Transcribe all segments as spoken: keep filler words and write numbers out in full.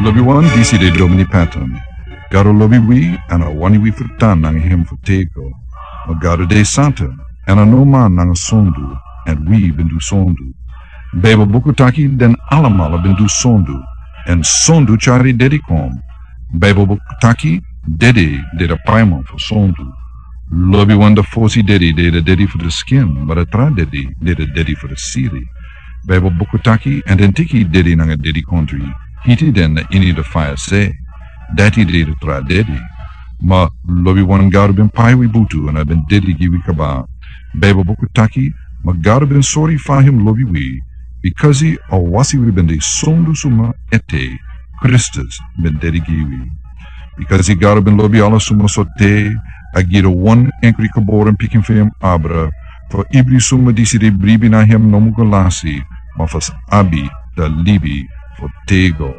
Lobi wan, disi de Domini Patton. Gado lobi wi, èn a wani wi fu tan nanga hem fu tego. Ma Gado de santa, èn a no man nanga sondu, èn wi ben du sondu. Baibel buku taki den alamala ben du sondu, èn sondu tyari dedi kon. Baibel buku taki dedi de a paiman fu sondu. Lobi wan, a fosi dedi de a dedi fu a skin, ma a tra dedi de a dedi fu a siri. Baibel buku taki, èn den teki dedi nanga dedikondri, hiti den na ini a faya se. Dati de a tra dedi. Ma lobi wan, Gado ben pai wi butu, èn a ben dedi gi wi kaba. Baibel buku taki, ma Gado ben sori fa hem lobi wi, bikasi a wasi wi ben de sondu suma ete, Kristus ben dedi gi wi. Bikasi Gado ben lobi ala suma so te, a gi a wan enkri geboren pikin fu hem abra, fu ibri suma disi de bribi na hem no mus go lasi, ma fu sa abi a libi fu tego.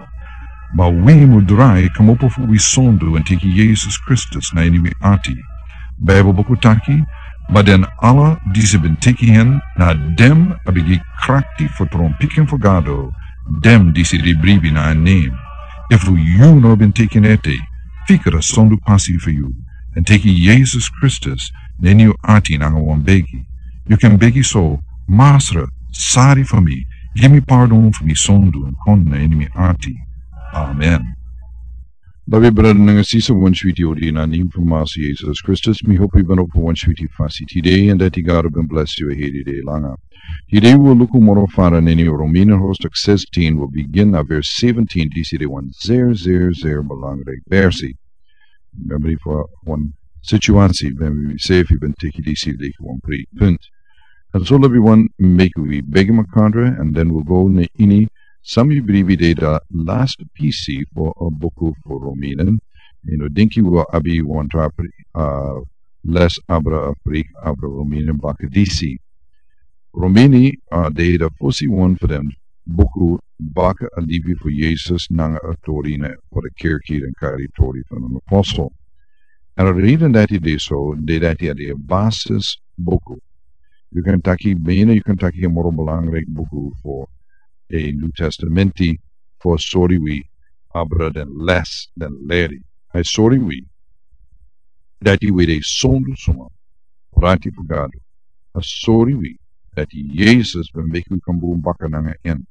Ma wi mus drai kmopo fu wi sondu èn teki Yesus Kristus na ini wi ati. Baibel buku taki, ma den ala disi ben teki hen, na den a ben gi krakti fu tron pikin fu Gado, den disi de bribi na en nen. Efu yu no ben teki en ete, fika a sondu pasi fu yu, èn teki Yesus Kristus na ini yu ati nanga wan begi. Yu kan begi so: Masra, sori fu mi, gi mi pardon fu mi sondu èn kon na ini mi ati. Amen. Lobi brada nanga sisa, wan switi odi na nen fu Masra Yesus Kristus, mi hopi yu ben opo wan switi fasi tide, èn dati Gado ben blesi yu a heri dei langa. Tide wi o luku moro fara na ini Romeinen hoofdstuk zestien, wi o bigin na vers zeventien, disi de wan zeer, zeer, zeer belangrijk versi. Memri fu wan situasi, memri wi sefi ben teki disi leki wan pre punt. Èn so lobi wan, meki wi begi makandra, èn den wi o go na ini san mi bribi de a last pisi fu a buku fu Romeinen. Yu no, dinki wi o abi wan tra pre, a, les abra, a pre abra Romeinen baka disi. Romeinen, a, de a fosi wan fu den buku baka a libi fu Yesus nanga a tori na fu a kerki, den kari tori fu den apostel. Èn a reden dati de so, de dati a de a basis buku. Yu kan taki, bina yu kan taki a moro belangrijk buku fu a New Testamenti, fu a sori wi abra den les, den leri. A sori wi dati wi de sondu suma, prati fu Gado. A sori wi dati Yesus ben meki wi kon bun baka nanga en.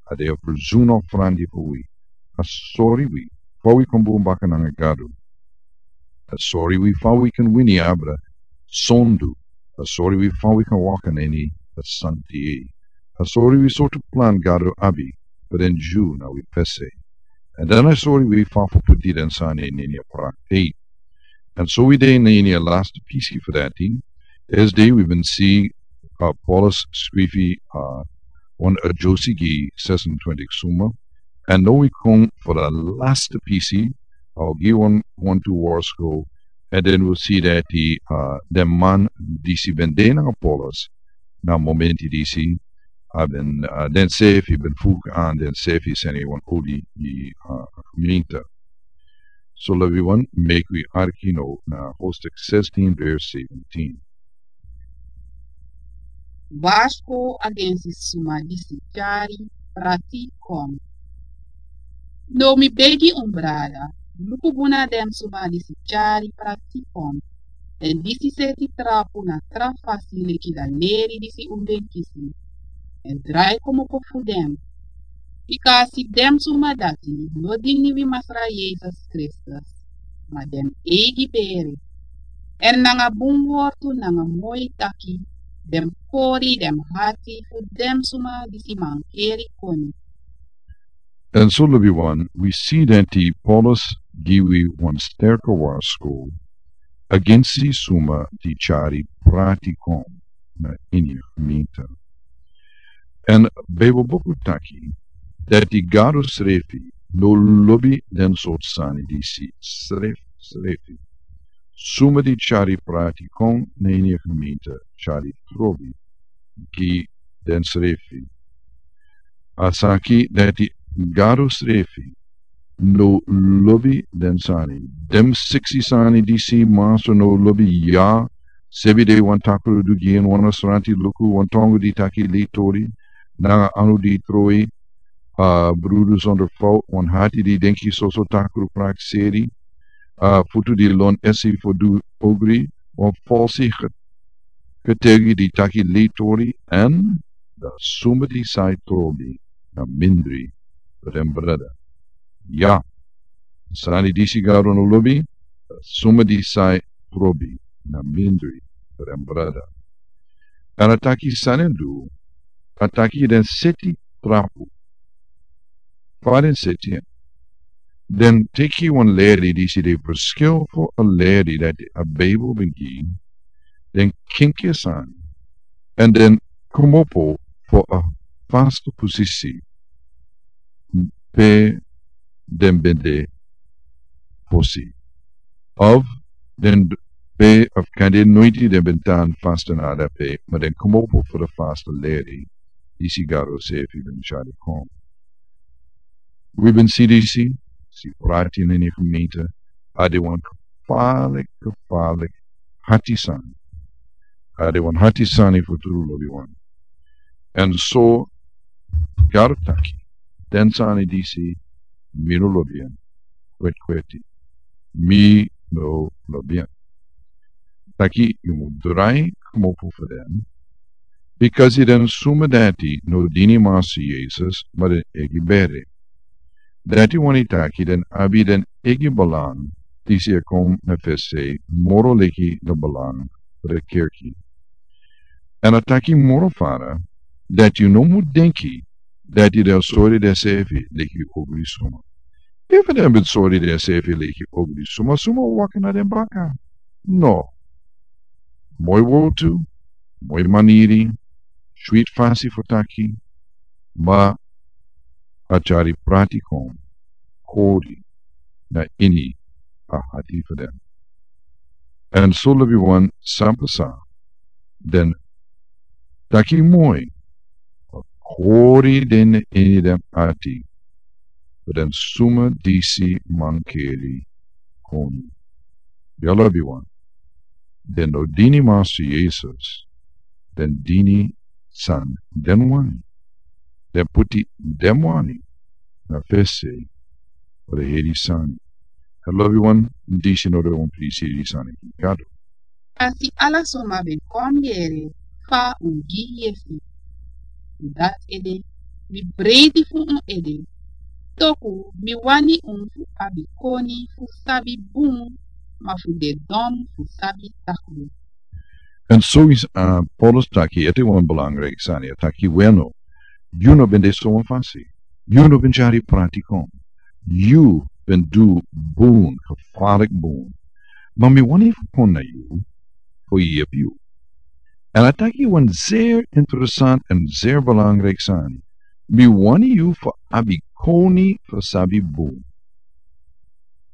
A de a ferzon ofrandi fu wi. A sori wi fa wi kon bun baka nanga Gado. A sori wi fa wi kan wini abra sondu. A sori wi fa wi kan waka na ini a santi. A sori wi sortu plan Gado abi fu den Dyu na wi fesi. Èn dan a sori wi fa fu puti den sani na ini a praktik. Èn so wi de na ini a last pisi fu dati. Esde wi ben si, a, Paulus skrifi, a, wan a Josi gi sesentwintig suma. Èn now wi kon fu a last pisi, a, gi wan, wan tu words go. Èn den wi si dati, a, den man disi ben de nanga Paulus na momenti disi, a ben, a, den sefi ben fuk an den sefi seni wan odi gi, a, gemeente. So lobi wan, meki wi arki now na hoofdstuk zestien vers zeventien. Warsko agensi suma disi tyari prati kon. No mi begi un brada, luku bun na den suma disi tyari prati kon. Èn disi seti trapu na tra fasi leki a leri disi un ben kisi. Èn drai kmopo fu den. Bikasi den suma dati no dini wi Masra Yesus Kristus, ma den eigi bere. Èn nanga bun wortu nanga moi taki, den kori den ati fu den suma disi mankeri koni. Èn so lobi wan, wi si dati Paulus gi wi wan sterke warsko agensi suma di tyari prati kon na ini a gemeente. Èn Bijbel buku taki dati Gado srefi no lobi den sortu sani disi srefi, srefi. Suma di tyari prati kon na ini a gemeente tyari trobi gi den srefi. A saki dati Gado srefi no lobi den sani. Den siksi sani disi Masra no lobi, ya, sebi de wan takru du gi en, wan asranti luku, wan tongo di taki lei tori, nanga anu di troi, a brudu sonder fout, wan hati di denki soso takru prakseri, a futu di lon esi fodu ogri, wan falsi ketegi di taki leitori, en da suma di sai trobi na mindri fu den brada. Ya, sani disi Gado no lobi, da suma di sai trobi na mindri fu den brada. An a taki san en du, a taki den seti trapu. Fa den seti en? Den teki wan leri disi de verschil fu a leri dati a Bijbel ben gi, den kinki sani, en den komopo fu a faste posisi pe den ben de fosi. Of den pe of kan den noiti den ben tan faste na dape, ma den komopo fu a faste leri disi Gado sefi ben tyari kon. Wi ben si disi, si prati na ini gemeente, a de wan gevaarlijk, gevaarlijk hati sani. A de wan hati sani fu tru, lobiwan. En so Gado taki, den sani disi mi no lobi en, kweti kweti. Mi no lobi en. Taki yu mu drai komopo fu den, bikasi den suma dati no dini Masi Yesus, ma den egi bere. Dati wani taki den abi den egi belang, disi e kon na fesi moro leki na belang fu den kerki. En a taki moro fara, dati yu no mu denki dati den sori densefi leki ogri suma. Efu den ben sori densefi leki ogri suma, suma o waka na den baka? No. Moi wotu, moi maniri, switi fasi fu taki, ma a tyari prati kon kori na ini a hati fu den. En so lobiwan, san pasa, den taki moi, a kori den ini den ati, fu den suma disi mankeri koni. Ya lobiwan, den no dini Masi Yesus, den dini san den wani. Den puti den wani na fesi fu den heri sani. Ya lobiwan, disi no de wan prisi heri sani gi Gado. A si ala suma ben kon yere fa un gi yesi. Fu dati ede, mi breiti fu un ede. Toku mi wani un fu abi koni fu sabi bun, ma fu de don fu sabi takru. En so is, a, Paulus taki ete wan belangrijk sani, a taki weno. Yu no ben de so wan fasi. Yu no ben tyari prati kon. Yu ben du bun, gevaarlijk bun. Ma mi wani fu kon na yu, fu yepi yu. En a taki wan zeer interessant en zeer belangrijk sani. Mi wani yu fu abi koni fu sabi bun.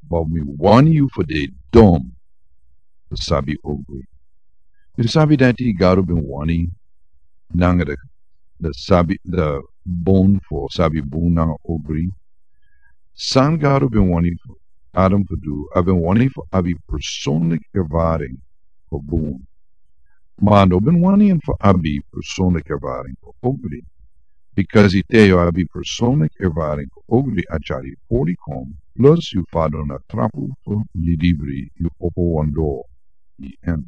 Ma mi wani yu fu de dom fu sabi ogri. Yu sabi dati Gado ben wani nanga de, de sabi, de bun fu sabi bun nanga ogri. San Gado ben wani fu Adam fu du, a ben wani fu abi persoonlijk ervaring fu bun. Ma a no ben wani en fu abi persoonlijk ervaring fu ogri. Bikasi te yu abi persoonlijk ervaring fu ogri, a tyari pori kon, plus yu fadon na trapu fu lidibri, yu opo wan doro gi en.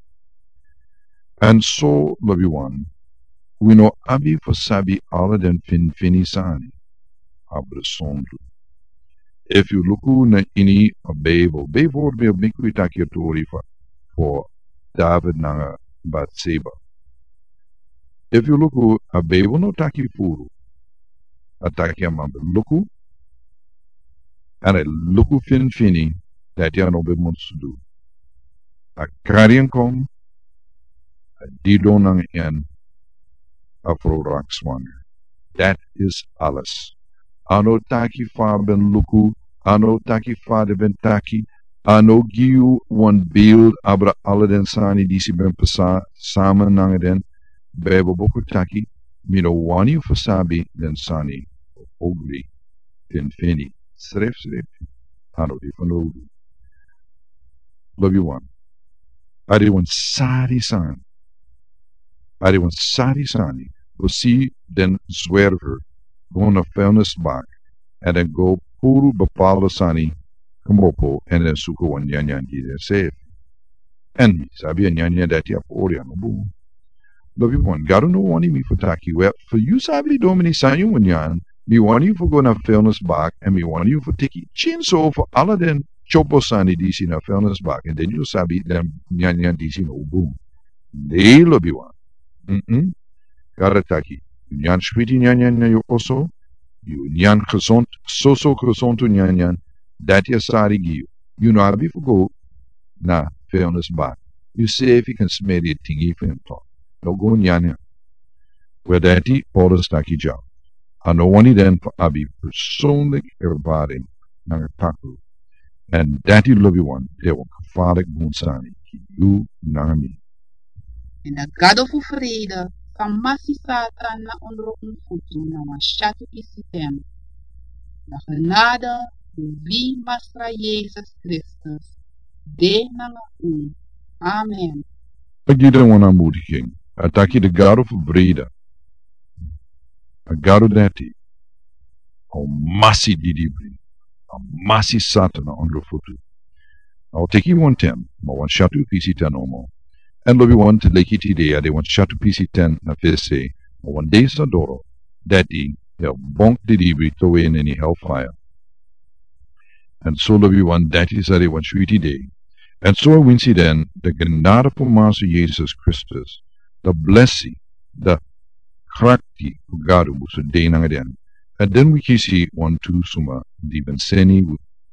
En so lobiwan, wi no abi fu sabi ala den finfini sani abra sondru. Efu yu luku na ini a Bijbel, bijvoorbeeld, meki wi taki a tori fu, fu David nanga Bathsheba. Efu yu luku, a Bijbel no taki furu. A taki a man ben luku, en a luku finfini dati a no ben mus du. A kari en kon, a didon nanga en, a frow raak swanger. Dat is alles. A no taki fa a ben luku, a no taki fa den ben taki, a no gi yu wan beeld abra ala den sani disi ben pasa sama nanga den. Bijbel buku taki, mi no wani yu fu sabi den sani ogri finfini. Srefsrefi, a no de fanowdu. Lobiwan, a de wan sari sani. A de wan sari sani fu si den zwerver go na felnes bak, èn den go puru bepaalde sani kmopo èn den suku wan nyanyan gi den sefi. Èn mi sabi a nyanyan dati a pori a no bun. Lobi wan, Gado no wani mi fu taki, wel, fu yu sabi domini san yu wan nyan, mi wani yu fu go na felnes bak, èn mi wani yu fu teki kinso fu ala den chopo sani disi na felnes bak, èn den yu sabi den nyanyan disi no bun. Ne, lobi wan. Mm-mm. Gado taki, yu nyan switi nyanyan na yu oso, yu nyan gesond, soso gesond nyanyan, dati a sari gi yu. Yu no abi fu go na felnes bak. Yu sefi kan smeri tingi fu en tok. No go nyanyan. Wel, dati Paulus taki dya. A no wani den fu abi persoonlijk ervaring nanga taku. Èn dati, lobi wan, de wan gevaarlijk bun sani gi yu nanga mi. Èn a Gado fu vrede sa masi Satan na ondro un futu na wan syatu pisi ten. A genade fu wi Masra Yesus Kristus de nanga un. Amen. A gi den wan aanmoediging. A taki a Gado fu vrede. A Gado dati a o masi didibri, a o masi Satan na ondro futu. A o teki wan ten, ma wan syatu pisi ten nomo. Èn, lobi wan, te leki tide a de wan syatu pisi ten na fesi, ma wan dei sa doro, dati a o bonk didibri towe na ini hellfire. Èn so, lobi wan, dati sa de wan switi dei. Èn so, winsi den, de genade fu Masra Yesus Kristus, de blesi, de krakti fu Gado musu de nanga den. Èn den wi kisi wantu suma di ben seni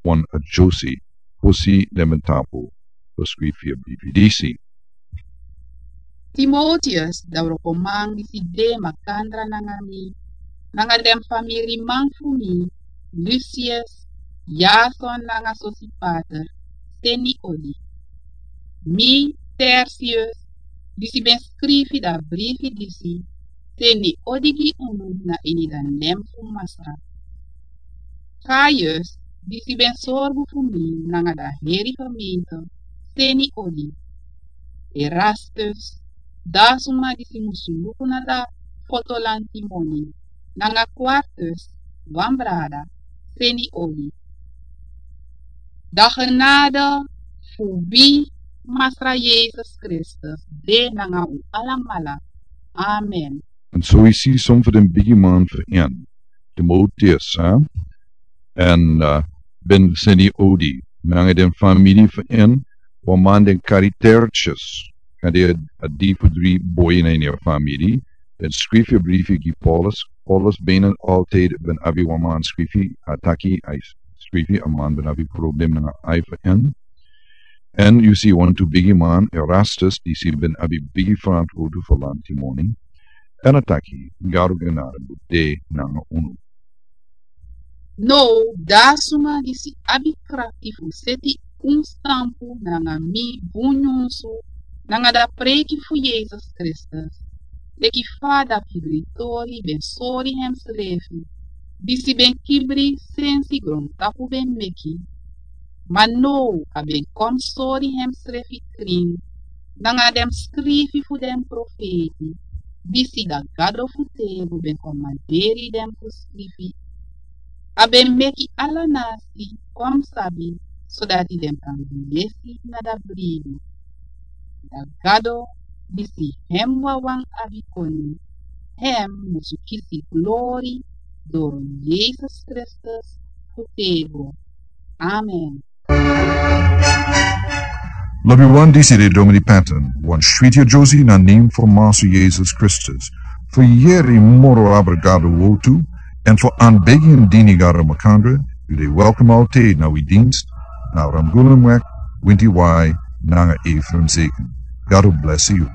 wan adyosi fosi den ben tapu fu skrifi a brifi disi. Timoteus, a wrokoman disi de makandra nanga mi, nanga den famiriman fu mi, Lusius, Yason nanga Sosipater, seni odi. Mi, Tertius, disi ben skrifi a brifi disi, seni odi gi unu na ini a nen fu Masra. Gaius, disi ben sorgu fu mi nanga a heri gemeente, seni odi. Erastus, a suma disi musu luku na a foto lantimoni, nanga Quartus, wan brada, seni odi. A genade fu wi Masra Yesus Kristus de nanga un alamala. Amen. Èn so wi si son fu den bigiman fu en, Timoteus, hè? Èn, eh, ben seni odi nanga den famiri fu en, wan man den kari Tertius, kan de a, a di fu dri boi na ini a famiri, den skrifi a brifi gi Paulus. Paulus ben altijd ben abi wan man skrifi, a taki a skrifi, a man ben abi problem nanga a fu en. Èn yu si wantu bigiman, Erastus, disi ben abi bigi frantwortu fu lantimoni. Èn a taki, Gado genade de nanga unu. Now, a suma disi abi krakti fu seti un stampu nanga mi bun nyunsu, nanga a preiki fu Yesus Kristus, leki fa a pibritori ben sori hemsrefi, disi ben kibri sensi grontapu ben meki. Ma now a ben kon sori hemsrefi krin, nanga den skrifi fu den profeiti, disi a Gado fu têgo ben komanderi den fu skrifi. A ben meki ala nasi kon sabi, sodati den kan gi yesi na a bribi. A Gado, disi hem wawan abi koni, hem musu kisi glori doro Yesus Kristus fu têgo. Amen. Lobi wan, disi de Domini Patton, wan switi adyosi na nen fu Masra Yesus Kristus. Fu yere moro abra Gado wortu, èn fu anbegi en dini Gado makandra, yu de welkom altijd na wi dienst, na Ramgunnenweg, winti wai, nanga Ephraim Zeken. Gado blesi yu.